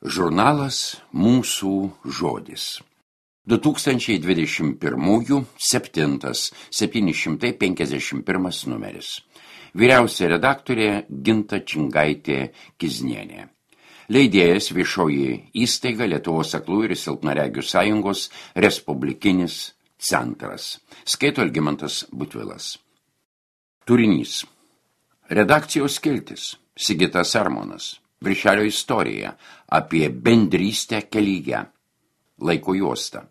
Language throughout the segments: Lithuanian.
Žurnalas Mūsų žodis. 2021 751 numeris. Vyriausia redaktorė Ginta Čingaitė-Kiznienė. Leidėjas viešoji įstaiga Lietuvos aklųjų ir silpnaregių sąjungos Respublikinis centras. Skaito Algimantas Butvilas. Turinys. Redakcijos skiltis. Sigitas Armonas. Viršelio istorija apie bendrystę kelyje. Laiko juosta.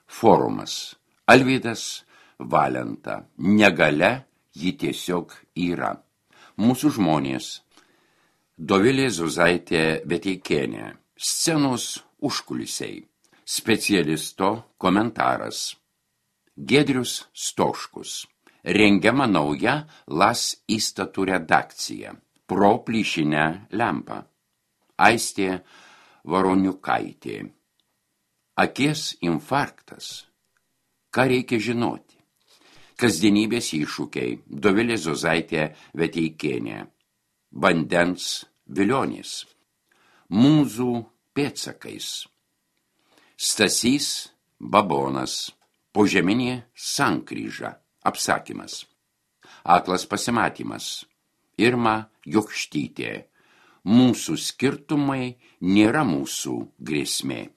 Forumas. Alvydas Valenta. Negalia ji tiesiog yra. Mūsų žmonės. Dovilė Zuzaitė Veteikienė. Scenos užkulisiai. Specialisto komentaras. Giedrius Stoškus. Rengiama nauja LAS įstatų redakcija. Pro plyšinę lempą. Aistė Varoniukaitė. Akies infarktas. Ką reikia žinoti? Kasdienybės iššūkiai. Dovilė Zuzaitė Veteikienė. Vandens vilionės. Mūzų pėdsakais. Stasys Babonas. Požeminė sankryža. Apsakymas. Aklas pasimatymas. Irma Jokštytė. Mūsų skirtumai nėra mūsų grėsmė.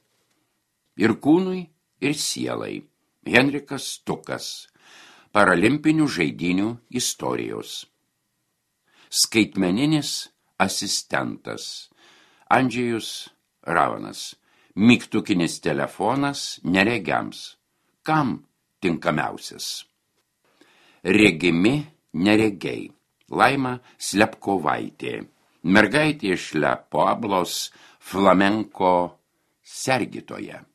Ir kūnui, ir sielai. Henrikas Stukas. Paralimpinių žaidynių istorijos. Skaitmeninis asistentas. Andžejus Ravanas. Mygtukinis telefonas neregiams. Kam tinkamiausias? Regimi neregiai. Laima Slepkovaitė. Mergaitė iš Le Pueblos flamenko sergitoje.